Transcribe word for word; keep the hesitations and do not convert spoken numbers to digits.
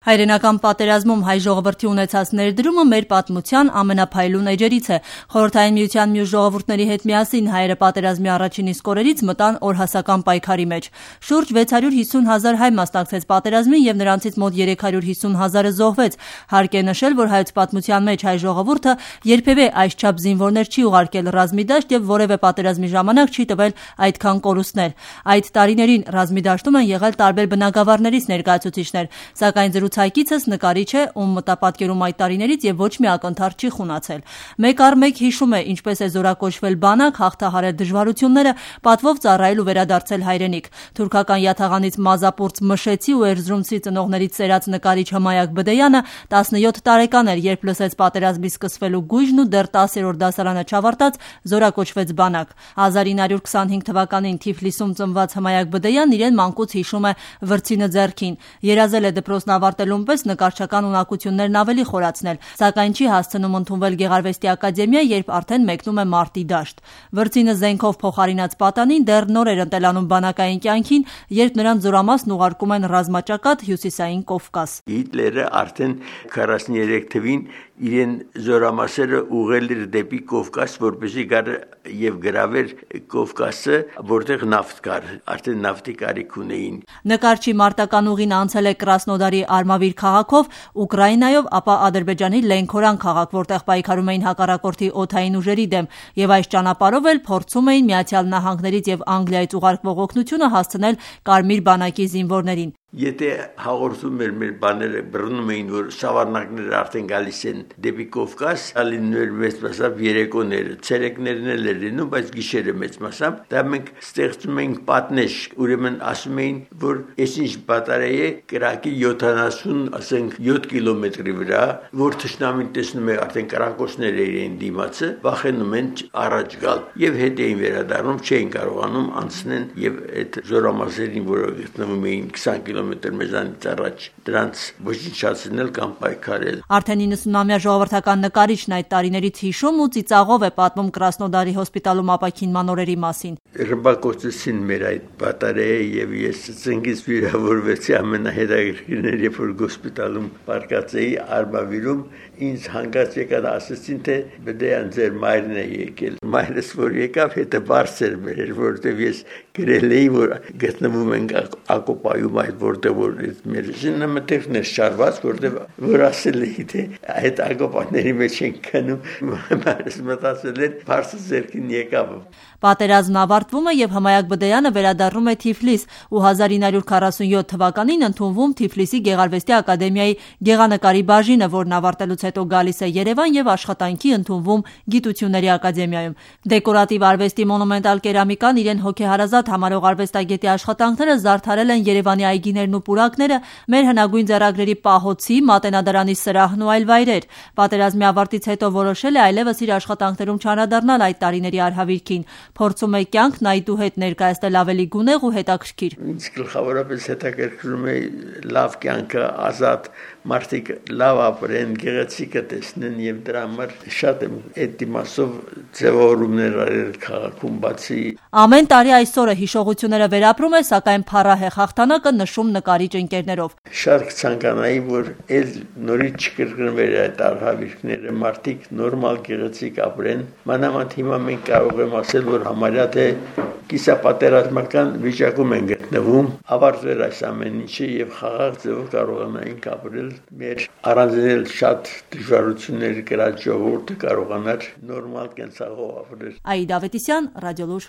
Հայրենական պատերազմում հայ ժողովրդի ունեցած ներդրումը մեր պատմության ամենափայլուն էջերից է։ Խորհրդային միության մյուս ժողովուրդների հետ միասին հայերը պատերազմի առաջին իսկ օրերից մտան օրհասական պայքարի մեջ։ Շուրջ վեց հարյուր հիսուն հազար հայ մասնակցեց պատերազմին եւ նրանցից մոտ երեք հարյուր հիսուն հազարը զոհվեց։ Հարկ է նշել, որ հայոց պատմության մեջ հայ ժողովուրդը երբևէ այսչափ զինվորներ չի ուղարկել ռազմի դաշտ եւ որևէ պատերազմի ժամանակ չի տվել այդքան կորուստներ։ Այդ տարիներին ռազմի դաշտում են եղել տարբեր բնակավարներից ներկայացուցիչներ, սակայն զրուցակիցս նկարիչ է, ում մտապատկերում այդ տարիներից եւ ոչ մի ակնթարթ չի խունացել։ Մեկ առ մեկ հիշում է, ինչպես է զորակոչվել բանակ, հաղթահարել դժվարությունները, պատվով ծառայել ու վերադարձել հայրենիք։ Թուրքական յաթաղանից մազապուրծ Մշեցի ու Էրզրումցի ծնողներից ծերած նկարիչ Հմայակ Բդեյանը տասնյոթ տարեկան էր, երբ լսեց պատերազմի սկսվելու գույժն ու դեռ տասերորդ դասարանը չավարտած զորակոչվեց բանակ։ հազար ինը հարյուր քսանհինգ թվականին Թիֆլիսում ծնված Հմայակ Բդեյանն իրեն մանկուց հիշում է վրձինը ձեռքին։ Երազել է դպրոցն ավարտելուն պես նկարչական ունակություններն ավելի խորացնել, սակայն չի հասցնում ընդունվել Գեղարվեստի ակադեմիա, երբ արդեն մեկնում է մարտի դաշտ։ Վրձինը զենքով փոխարինած պատանին դեռ նոր էր ընտելանում բանակային կյանքին, երբ նրան զորամասն ուղարկում են ռազմաճակատ Հյուսիսային Կովկաս։ Հիտլերը արդեն քառասուններեք թվին իրեն զորամասերը ուղղել էր դեպի Կովկաս, որպեսզի գար եւ գրավեր Կովկասը, որտեղ նավթ կար, արդեն նավթի կարիք ունեին։ Նկարչի մարտական ուղին անցել է Կրասնոդարի Արմավիր քաղաքով, Ուկրաինայով, ապա Ադրբեջանի Լենքորան քաղաք, որտեղ պայքարում էին հակառակորդի օդային ուժերի դեմ, եւ այս ճանապարհով էլ փորձում էին Միացյալ Նահանգներից եւ Անգլիայից ուղարկվող օգնությունը հասցնել Կարմիր բանակի զինվորներին։ Եթե հաղորդում էր մեր բաները բռնում էին, որ շավարնակները արդեն գալիս են դեպի Կովկաս, ալիններ մեծ մասամբ երեկոները, ցերեկներն էլ էր լինում, բայց գիշերը մեծ մասամբ, դա մենք ստեղծում էինք պատնեշ, ուրեմն ասում էին, որ այսինչ բատարեի է կրակի յոթանասուն, ասենք յոթ կիլոմետրի վրա, որ թշնամին տեսնում է արդեն կրակոցներ էին դիմացը, վախենում են առաջ գալ եւ հետ էին վերադառնում, չէին կարողանում անցնեն եւ այդ զորամասերին, որը գտնվում էին քսան կիլոմետր մեզանից առաջ, դրանց ոչնչացնել կամ պայքարել։ Արդեն իննսունամյա ժողովրդական նկարիչն այդ տարիներից հիշում ու ծիծաղով է պատմում Կրասնոդարի հոսպիտալում ապաքինման օրերի մասին։ Ռմբակոծեցին մեր այդ բատարեը եւ ես ծնգից վիրավորվեցի ամենահետաքրքիրն, երբ որ հոսպիտալում պարկած էի Արմավիրում, ինձ հանգած եկան ասեցին, թե Բդեյան ձեր մայրն է եկել։ Մայրս որ եկավ, հետը բարձր մեր, որտեվ ես գրել էի, որ գտնվում ենք Ակոպայում, այդ որտեղ որ մեր զինը մտերն է շարված, որտեղ որ ասել էի, թե այդ ակոպաների մեջ են քնում, մայրս մտածել էր, բարձր ձերքին եկավ։ Պատերազմն ավարտվում է եւ Հմայակ Բդեյանը վերադառնում է Թիֆլիս ու հազար ինը հարյուր քառասունյոթ թվականին ընդունվում Թիֆլիսի Գեղարվեստի ակադեմիայի գեղանկարի բաժինը, որն ավարտելուց հետո գալիս է Երևան եւ աշխատանքի ընդունվում Գիտությունների ակադեմիայում։ Դեկորատիվ արվեստի մոնումենտալ կերամիկան իրեն հոգեհարազատ համարող արվեստագետի աշխատանքները զարդարել են Երևանի այգիներն ու պուրակները, մեր հնագույն ձեռագրերի պահոցի, Մատենադարանի սրահն ու այլ վայրեր։ Պատերազմի ավարտից հետո որոշել է այլևս իր աշխատանքներում չանդրադառնալ այդ տարիների արհավիրքին, փորձում է կյանքն այդուհետ ներկայացնել ավելի գունեղ ու հետաքրքիր։ Ինձ գլխավորապես հետաքրքրում է լավ կյանքը, ազատ մարդիկ լավ ապրեն, գեղեցիկը տեսնեն եւ դրա համար շատ եմ այդ դիմասով ձևավորումներ արել քաղաքում բացի։ Ամեն տարի այսօրը հիշողությունները վերապրում է, սակայն փառահեղ հաղթանակը նշում նկարիչ ընկերներով։ Շատ կցանկանայի, որ այլ նորից չկրկնվեր այդ արհավիրքները, մարդիկ նորմալ գեղեցիկ ապրեն։ Մանավանդ հիմա մենք կարող եմ ասել, որ համարյա թե կիսապատերազմական վիճակում են գտնվում, ավարտվել այս ամեն ինչը եւ խաղաղ ձևով կարողանային ապրել մեր առանձնել շատ դժվարություններ կրած ժողովուրդը կարողանար նորմալ կենսաղով ապրել։ Աիդա Ավետիսյան, Ռադիոլուր։